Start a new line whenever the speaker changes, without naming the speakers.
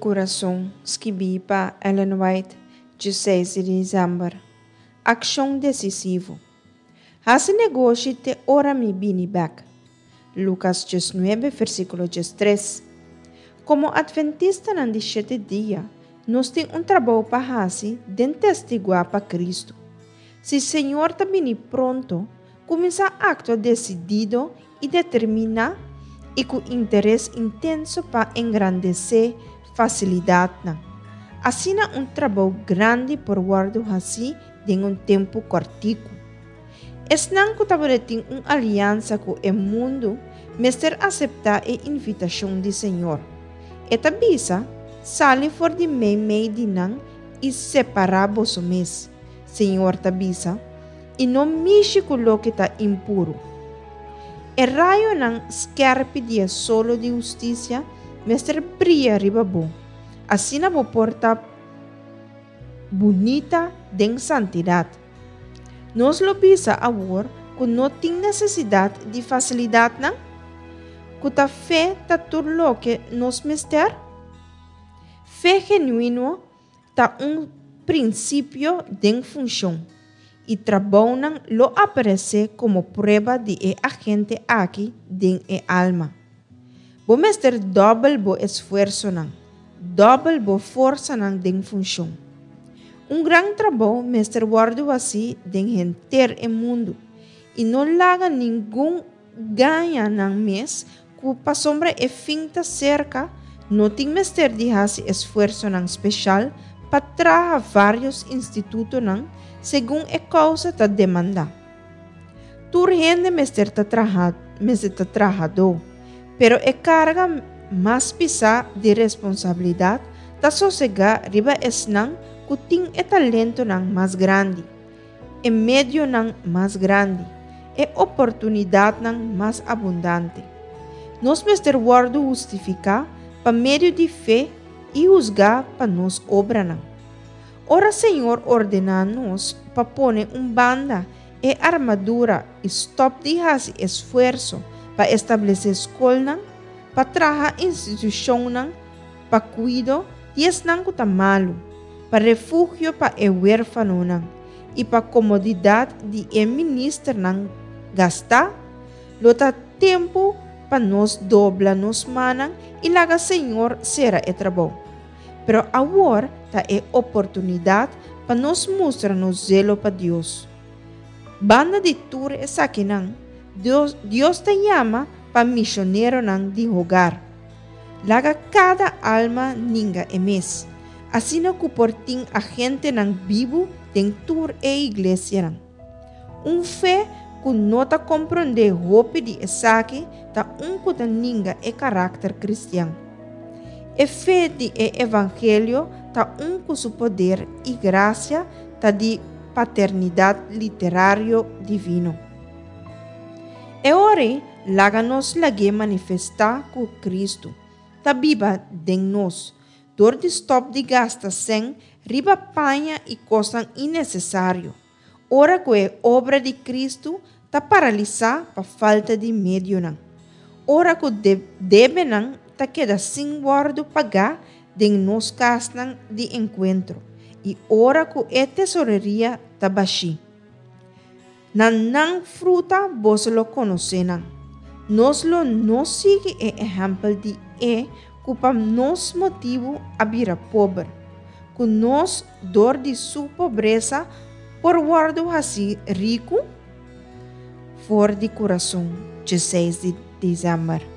Kurason, skibí pa Ellen White, 16 di desèmber. Akshon desisivo. Hasi negoshi te ora mi bini bèk. Lukas 19, versíkulo 13. Komo Atventistanan di Shete Dia, nos tin un trabou pa hasi den testiguá pa Kristu. Si Señor ta bini pronto, kuminsá aktua desidido i determiná i ku interes intenso pa engrandesé fasilidatnan. Asina un trabou grandi por wòrdu hasí den un tempu kòrtiku. Esnan ku tabata tin un aliansa ku e mundu mester aseptá e invitashon di Señor. E ta bisa, Sali for di meimei di nan i separá boso mes, Señor ta bisa, i no mishi ku loke ta impuru. E rayonan skèrpi di e solo di hustisia mester bria riba bo, asina bo por ta bunita den santidat. Nos lo bisa awor ku no tin nesesidat di fasilidatnan? Ku ta fe ta tur loke nos mester? Fe genuino ta un prinsipio den funshon, i trabounan lo aparesé komo prueba di e agente aki den e alma. Bo mester dòbel bo esfuersonan, dòbel bo forsanan den funshon. Un gran trabou mester wòrdu hasí den henter e mundu, i no laga ningun gaña nan mes ku pasobra e fin ta serka, no tin mester di hasi esfuersonan speshal pa traha vários institutonan segun e kousa ta demandá. Tur hende mester ta traha mester ta trahadó, pero e karga mas pisá di responsabilidat ta sosegá riba esnan ku tin e talentonan mas grandi, e medionan mas grandi, e oportunidatnan mas abundante. Nos mester wòrdu hustifiká pa medio di fe i husgá pa nos obranan. Ora Señor ordená nos pa pone un banda e armadura i stòp di hasi esfuerso pa establesé skolnan, pa traha institushonnan pa kuido di esnan ku ta malu, pa refugio pa e huérfanonan i pa komodidat di e ministernan gastá, lo ta tempu pa nos dobla nos mannan i laga Señor sera e trabou. Pero awor ta e oportunidat pa nos mustra nos zelo pa Dios. Banda di tur esakinan, Dios, Dios ta yama pa mishoneronan di hogar. Laga kada alma ninga e mes, asina ku por tin agentenan bibu den tur e iglesianan. Un fe ku no ta komprondé hopi di esaki ta un ku ta ninga e karakter kristian. E fe di e evangelio ta un ku su poder i grasia ta di paternidat literario divino. E ora ei laga nos lag'é manifestá ku Kristu ta biba den nos dor di stòp di gasta sèn riba paña i kosnan innesesario, ora ku e obra di Kristu ta paralisá pa falta di medionan, ora ku debenan ta keda sin wòrdu pagá den nos kasnan di enkuentro i ora ku e tesoreria ta bashí. Na nan fruta boso lo konosé nan. Nos lo no sigui e ehèmpel di e ku pa nos motibu a bira pober, ku nos dor di su pobresa por wòrdu hasí riku? For di kurason, 16 di desèmber.